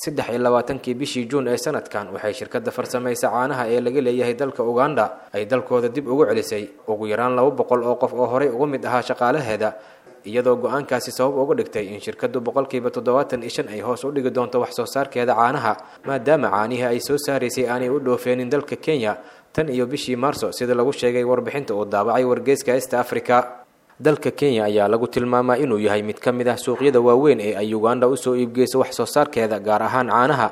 23-kii bishii Juun ee sanadkan waxay shirkadda farsamaysa caanaha ee laga leeyahay dalka Uganda ay dalkooda dib ugu celisay ugu yaraan 200 oo qof oo horey uga mid ahaa shaqaalaheeda, iyadoo go-aankaasi sabab uga dhigtay in shirkaddu 75% ay hoos u dhigi doonto wax soo saarkeeda caanaha, maadaama caanihii ay soo saaraysay aanay u dhoofeenin dalka Kenya tan iyo bishii Maarso, sida lagu sheegay warbixinta uu daabacay wargeyska East Africa. Dalka Kenya ayaa lagu tilmaamaa inuu yahay mid ka mid ah suuqyada waaweyn ee ay Uganda usoo iibgeyso wax soo saarkeeda, gaar ahaan caanaha.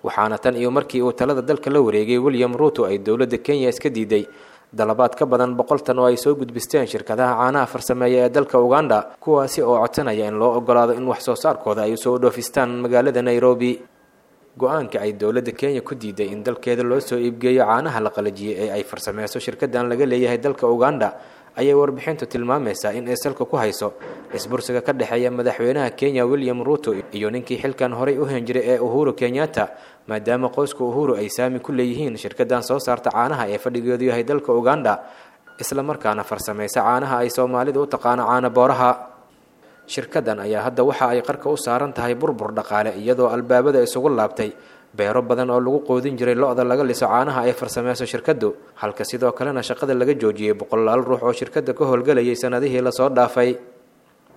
Waxaana tan iyo markii uu talada dalka la wareegay William Ruto ay dowladda Kenya iska diiday dalabaad ka badan 100 tan oo ay soo gudbisteen shirkadaha caanaha farsameeya ee dalka Uganda, kuwaasi oo codsanaya in loo ogolaado in wax soo saarkooda ay usoo dhoofistaan magaalada Nairobi. Go-aanka ay dowladda Kenya ku diiday in dalkeeda loo soo iibgeeyo caanaha la qalajiyey ee ay farsameyso shirkadan laga leeyahay dalka Uganda ayay warbixintu tilmaamaysaa in ay salka ku hayso isbursiga ka dhexeeya madaxweynaha Kenya William Ruto iyo ninkii xilkan horey u hen jiray ee Uhuru Kenyatta, maadaama qoyska Uhuru ay saami ku leeyihiin shirkadan soo saarta caanaha ee fadhigeedu yahay dalka Uganda, islamarkaana farsameysa caanaha ay Soomaalidu u taqaano caana booraha. Shirkadan ayaa hadda waxa ay qarka u saaran tahay burbur dhaqaale, iyadoo albaabada isugu laabtay beero badan oo lagu qoodin jiray lo-da laga liso caanaha ay farsameyso shirkaddu, halka sidoo kalena shaqada laga joojiyey boqolaal ruux oo shirkadda ka howlgelayay sanadihii lasoo dhaafay.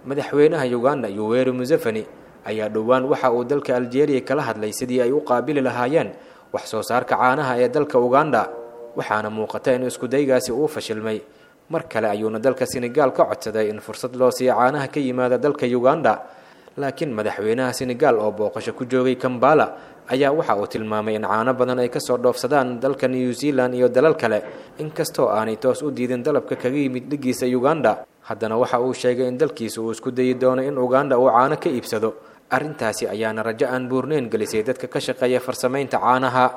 Madaxweynaha Uganda Yoweri Museveni ayaa dhowaan waxa uu dalka Algeria kala hadlay sidii ay u qaabili lahaayeen wax soo saarka caanaha ee dalka Uganda, waxaana muuqata in iskudaygaasi uu fashilmay. Mar kale ayuuna dalka Senegal ka codsaday in fursad loo siiyo caanaha ka yimaada dalka Uganda, laakiin madaxweynaha Senegal oo booqasho ku joogay Kambala ayaa waxa uu tilmaamay in caano badan ay kasoo dhoofsadaan dalka New Zealand iyo dalal kale. Inkastoo aanay toos u diidin dalabka kaga yimid dhigiisa Uganda, haddana waxa uu sheegay in dalkiisa uu isku dayi doono in Uganda uu caano ka iibsado. Arrintaasi ayaana rajo aan buurneyn gelisay dadka ka shaqeeya farsamaynta caanaha.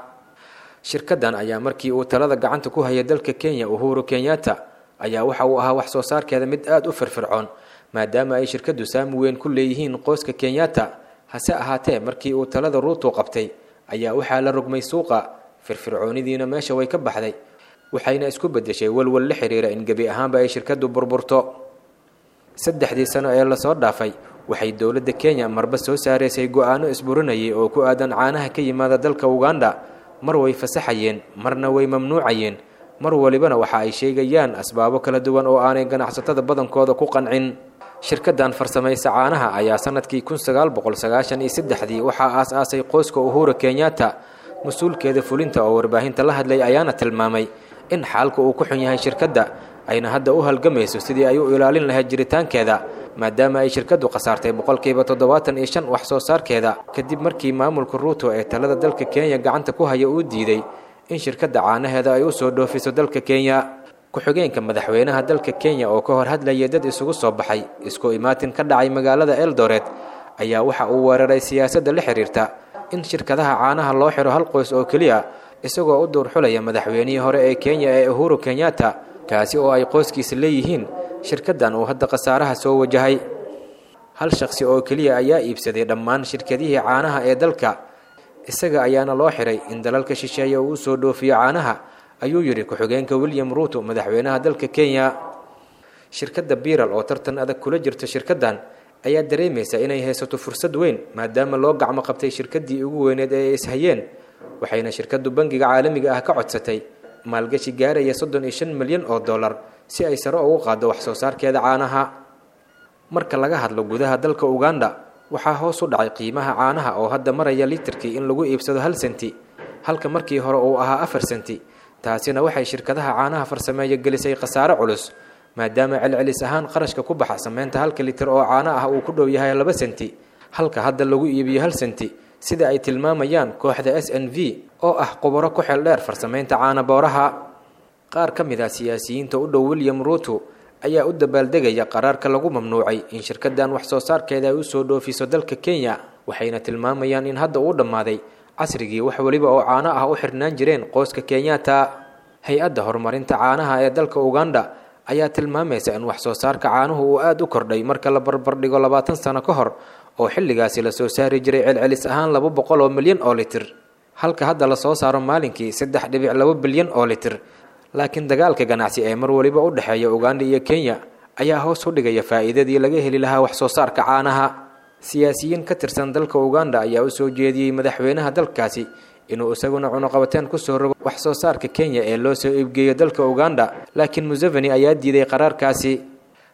Shirkadan ayaa markii uu talada gacanta ku hayay dalka Kenya Uhuru Kenyatta ayaa waxa uu ahaa wax soo saarkeeda mid aada u firfircoon, maadaama ay shirkaddu saami weyn ku leeyihiin qoyska Kenyatta. Hase ahaatee markii uu talada Ruto qabtay ayaa waxaa la rogmay suuqa, firfircoonidiina meesha way ka baxday, waxayna isku beddeshay walwal la xiriira in gebi ahaanba ay shirkaddu burburto. 3dii sano ee lasoo dhaafay waxay dowladda Kenya marba soo saaraysay go-aano isburinayay oo ku aadan caanaha ka yimaada dalka Uganda. Mar way fasaxayeen, marna way mamnuucayeen, mar walibana waxa ay sheegayaan asbaabo kala duwan oo aanay ganacsatada badankooda ku qancin. Shirkadan farsamaysa caanaha ayaa sanadkii 1993dii waxaa aas-aasay qoyska Uhuru Kenyatta. Mas-uulkeeda fulinta oo warbaahinta la hadlay ayaana tilmaamay in xaalka uu ku xun yahay shirkadda, ayna hadda u halgamayso sidii ay u ilaalin lahayd jiritaankeeda, maadaama ay shirkaddu khasaartay 75% wax soo saarkeeda kadib markii maamulka Ruto ee talada dalka Kenya gacanta ku haya uu diiday in shirkadda caanaheeda ay u soo dhoofiso dalka Kenya. Ku-xigeenka madaxweynaha dalka Kenya oo ka hor hadlayay dad isugu soo baxay isku imaatin ka dhacay magaalada Eldoret ayaa waxa uu weeraray siyaasadda la xiriirta in shirkadaha caanaha loo xiro hal qoys oo keliya, isagoo u duurxulaya madaxweynihii hore ee Kenya ee Uhuru Kenyatta, kaasi oo ay qoyskiisa leeyihiin shirkaddan uu hadda khasaaraha soo wajahay. Hal shaqsi oo keliya ayaa iibsaday dhammaan shirkadihii caanaha ee dalka, isaga ayaana loo xiray in dalalka shisheeye uu usoo dhoofiyo caanaha, ayuu yidhi ku-xigeenka William Ruto madaxweynaha dalka Kenya. Shirkadda Biral oo tartan adag kula jirta shirkaddan ayaa dareemaysa inay haysato fursad weyn, maadaama loo gacmo qabtay shirkaddii ugu weyneed ee ay ishayeen, waxayna shirkaddu bangiga caalamiga ah ka codsatay maalgashi gaaraya 35 milyan oo dollar si ay sare ugu qaaddo wax soo saarkeeda caanaha. Marka laga hadlo gudaha dalka Uganda, waxaa hoos u dhacay qiimaha caanaha oo hadda maraya litirkii in lagu iibsado 1 senti, halka markii hore uu ahaa 4 senti. Taasina waxay shirkadaha caanaha farsameeya gelisay khasaare culus, maadaama celcelis ahaan qarashka ku baxa sameynta halka litir oo caano ah uu ku dhow yahay 2 senti, halka hadda lagu iibiyo 1 senti, sida ay tilmaamayaan kooxda SNV oo ah khubaro ku xeel dheer farsameynta caana booraha. Qaar ka mid ah siyaasiyiinta u dhow William Ruto ayaa u dabaaldegaya qaraarka lagu mamnuucay in shirkaddan wax soo saarkeeda ay usoo dhoofiso dalka Kenya, waxayna tilmaamayaan in hadda uu dhammaaday casrigii wax weliba oo caano ah u xirnaan jireen qoyska Kenyatta. Hay-adda horumarinta caanaha ee dalka Uganda ayaa tilmaamaysa in wax soo saarka caanuhu uu aada u kordhay marka la barbardhigo 20 sano ka hor, oo xilligaasi lasoo saari jiray celcelis ahaan 200 milyan oo litir, halka hadda lasoo saaro maalinkii 3.2 bilyan oo litir. Laakiin dagaalka ganacsi ee mar waliba u dhexeeya Uganda iyo Kenya ayaa hoos u dhigaya faa'iidadii laga heli lahaa wax soo saarka caanaha. Siyaasiyiin ka tirsan dalka Uganda ayaa u soo jeediyey madaxweynaha dalkaasi inuu isaguna cunuqabateen kusoo rogo wax soo saarka Kenya ee loo soo iibgeeyo dalka Uganda, laakiin Museveni ayaa diiday qaraarkaasi.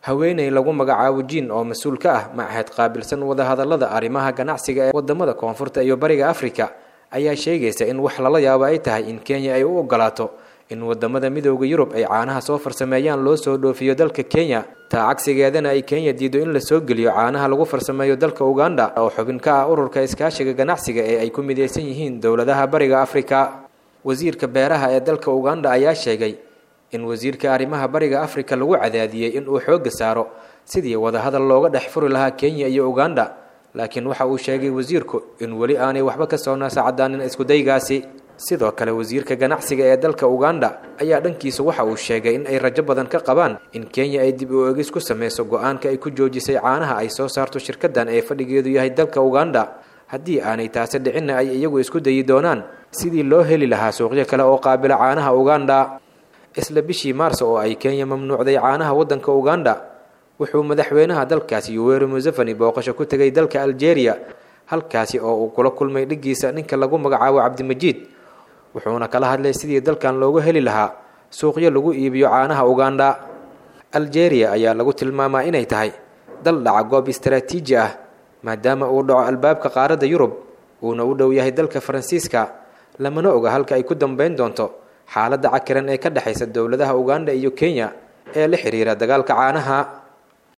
Haweeney lagu magacaabo Jiin oo mas-uul ka ah machad qaabilsan wadahadallada arrimaha ganacsiga ee wadamada koonfurta iyo bariga Afrika ayaa sheegaysa in wax lala yaabo ay tahay in Kenya ay u ogolaato in wadamada Midowda Yurub ay caanaha soo farsameeyaan loo soo dhoofiyo dalka Kenya, taa cagsigeedana ay Kenya diido in lasoo geliyo caanaha lagu farsameeyo dalka Uganda oo xubin ka ah ururka iskaashiga ganacsiga ee ay ku mideysan yihiin dowladaha bariga Afrika. Wasiirka beeraha ee dalka Uganda ayaa sheegay in wasiirka arrimaha bariga Afrika lagu cadaadiyey in uu xoogga saaro sidii wadahadal looga dhex furi lahaa Kenya iyo Uganda, laakiin waxa uu sheegay wasiirku in weli aanay waxba ka soo naasacadaanin iskudaygaasi. Sidoo kale wasiirka ganacsiga ee dalka Uganda ayaa dhankiisa waxa uu sheegay in ay rajo badan ka qabaan in Kenya ay dib u eegis ku sameyso go-aanka ay ku joojisay caanaha ay soo saarto shirkaddan ee fadhigeedu yahay dalka Uganda, haddii aanay taasi dhicinna ay iyagu isku dayi doonaan sidii loo heli lahaa suuqyo kale oo qaabila caanaha Uganda. Isla bishii Maarso oo ay Kenya mamnuucday caanaha waddanka Uganda, wuxuu madaxweynaha dalkaasi Yoweri Museveni booqasho ku tegay dalka Algeria, halkaasi oo uu kula kulmay dhiggiisa ninka lagu magacaabo Cabdimajiid, wuxuuna kala hadlay sidii dalkan loogu heli lahaa suuqyo lagu iibiyo caanaha Uganda. Algeria ayaa lagu tilmaamaa inay tahay dal dhaca goob istaraatiiji ah, maadaama uu dhaco albaabka qaaradda Yurub uuna u dhow yahay dalka Faransiiska, lamana oga halka ay ku dambeyn doonto xaaladda cakiran ee ka dhexaysa dowladaha Uganda iyo Kenya ee la xiriira dagaalka caanaha.